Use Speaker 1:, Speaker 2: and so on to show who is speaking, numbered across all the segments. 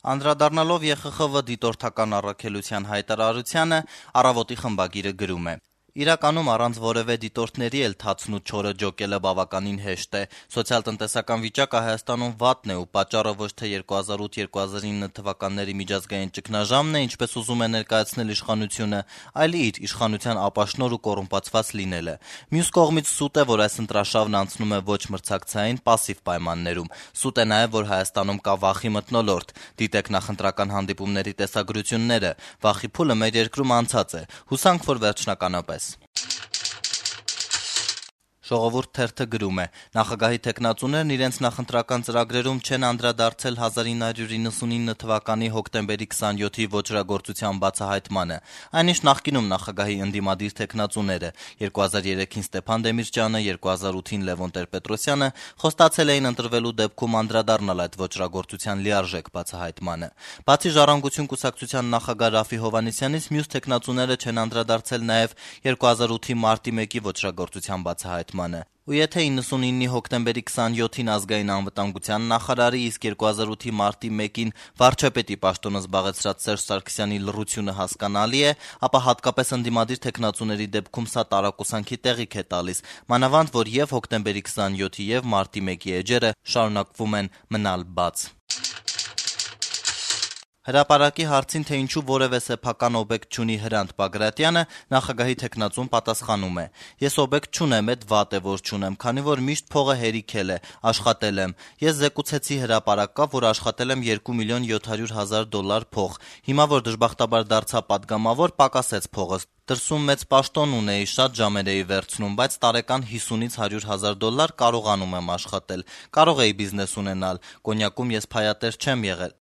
Speaker 1: Անդրադառնալով ԵԽԽՎ դիտորդական առաքելության հայտարարությանը, «Առավոտ»-ի խմբագիրը գրում է. Իրականում առանց որևէ դիտորդների էլ թացն ու չորը ջոկելը բավականին հեշտ է: Սոցիալ-տնտեսական վիճակը Հայաստանում վատն է ու պատճառը ոչ թե 2008-2009 թվականների միջազգային ճգնաժամն է, ինչպես ուզում է ներկայացնել իշխանությունը, այլ իր իշխանության ապաշնոր ու կոռումպացված լինելը: Մյուս կողմից սուտ է, որ այս ընտրաշավն անցնում է ոչ մրցակցային, պասիվ պայմաններում: Սուտ է նաև, որ Հայաստանում կա վախի մթնոլորտ: Դիտեք նախընտրական հանդիպումների տեսագրությունները: Վախի փուլը մեր երկրում անցած է: Հուսանք, որ վերջնականապես: «Ժողովուրդ» թերթը գրում է. Նախագահի թեկնածուներն իրենց նախընտրական ծրագրերում չեն անդրադարձել 1999 թվականի հոկտեմբերի 27-ի ոճրագործության բացահայտմանը: Այնինչ նախկինում նախագահի ընդդիմադիր թեկնածուները՝ 2003-ին Ստեփան Դեմիրճյանը, 2008-ին Լևոն Տեր-Պետրոսյանը խոստացել էին ընտրվելու դեպքում անդրադառնալ այդ ոճրագործության լիարժեք բացահայտմանը: Բացի «Ժառանգություն» կուսակցության նախագահ Րաֆֆի Հովհաննիսյանից, մյուս թեկնածուները չեն անդրադարձել նաև 2008-ի մարտի 1-ի ոճրագործության բացահայտմանը: Ու եթե 99-ի հոկտեմբերի 27-ին ազգային անվտանգության նախարարի, իսկ 2008-ի մարտի 1-ին վարչապետի պաշտոնը զբաղեցրած Սերժ Սարգսյանի լռությունը հասկանալի է, ապա հատկապես ընդդիմադիր թեկնածուների դեպքում սա տարակուսանքի տեղիք է տալիս, մանավանդ որ եւ հոկտեմբերի 27-ի եւ մարտի 1-ի էջերը շարունակվում են մնալ բաց: Հրապարակի հարցին, թե ինչու որևէ սեփական օբյեկտ չունի Հրանտ Բագրատյանը, նախագահի թեկնածուն պատասխանում է. «Ես օբյեկտ չունեմ, էդ վատ է, որ չունեմ, քանի որ միշտ փողը հերիքել է, աշխատել եմ: Ես զեկուցեցի հրապարակավ, որ աշխատել եմ 2 միլիոն 700 հազար դոլար փող: Հիմա, որ դժբախտաբար դարձա պատգամավոր, պակասեց փողս: Դրսում մեծ պաշտոն ունեի, շատ ժամեր էի վերցնում, բայց տարեկան 50-ից 100 հազար դոլար կարողանում եմ աշխատել: Կարող էի բիզնես ունենալ: Կոնյակում ես փայատեր չեմ եղել»: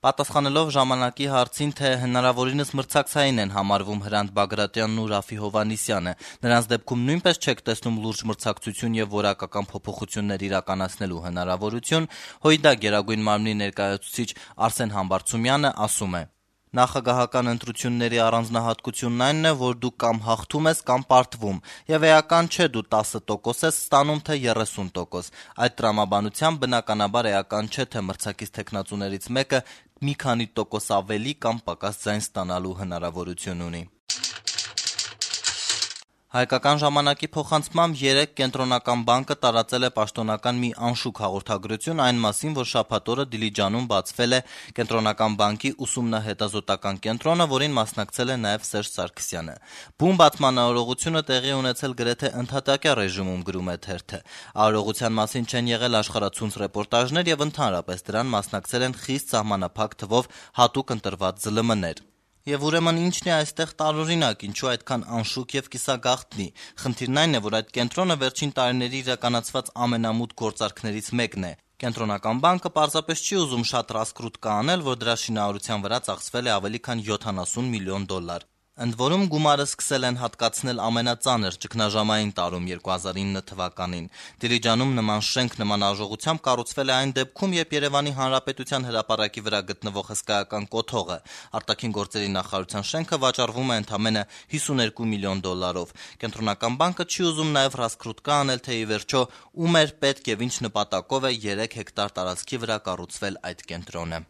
Speaker 1: Պատասխանելով «Ժամանակ»-ի հարցին, թե հնարավորինս մրցակցային են համարվում Հրանտ Բագրատյանն ու Րաֆֆի Հովհաննիսյանը, նրանց դեպքում նույնպես չեք տեսնում լուրջ մրցակցություն եւ որակական փոփոխություններ իրականացնելու հնարավորություն, ՀՅԴ Գերագույն մարմնի ներկայացուցիչ Արսեն Համբարձումյանը ասում է. «Նախագահական ընտրությունների առանձնահատկությունն այնն է, որ դու կամ հաղթում ես, կամ պարտվում, եւ էական չէ դու 10% ես ստանում, թե 30%: Այդ տրամաբանությամբ բնականաբար էական չէ, թե մրցակից թեկնածուներից մեկը մի քանի տոկոս ավելի կամ պակաս ձայն ստանալու հնարավորություն ունի»: «Հայկական ժամանակ»-ի փոխանցմամբ երեկ Կենտրոնական բանկը տարածել է պաշտոնական մի անշուք հաղորդագրություն այն մասին, որ շաբաթ օրը Դիլիջանում բացվել է Կենտրոնական բանկի ուսումնահետազոտական կենտրոնը, որին մասնակցել է նաև Սերժ Սարգսյանը: Բուն բացման արարողությունը տեղի է ունեցել գրեթե ընդհատակյա ռեժիմում, գրում է թերթը: Արարողության մասին չեն եղել աշխարհացունց ռեպորտաժներ եւ ընդհանրապես դրան մասնակցել են խիստ սահմանափակ թվով հատուկ ընտրված ԶԼՄ-ներ: Եվ ուրեմն ի՞նչն է այստեղ տարօրինակ, ինչու այդքան անշուք եւ կիսագաղտնի: Խնդիրն այն է, որ այդ կենտրոնը վերջին տարիների իրականացված ամենամութ գործարքներից մեկն է: Կենտրոնական բանկը պարզապես չի ուզում շատ ռասկրուտկա անել, որ դրա շինարարության վրա ծախսվել է ավելի քան 70 միլիոն դոլար: Ընդ որում գումարը սկսել են հատկացնել ամենածանր ճգնաժամային տարում 2009 թվականին: Դիլիջանում նման շենք նման արժողությամբ կառուցվել է այն դեպքում, երբ Երևանի Հանրապետության հրապարակի վրա գտնվող հսկայական կոթողը՝ արտաքին գործերի նախարարության շենքը, վաճառվում է ընդամենը 52 միլիոն դոլարով: Կենտրոնական բանկը չի ուզում նաև ռասկրուտկա անել, թե ի վերջո ում էր պետք եւ ինչ նպատակով է 3 հեկտար տարածքի վրա կառուցվել այդ կենտրոնը: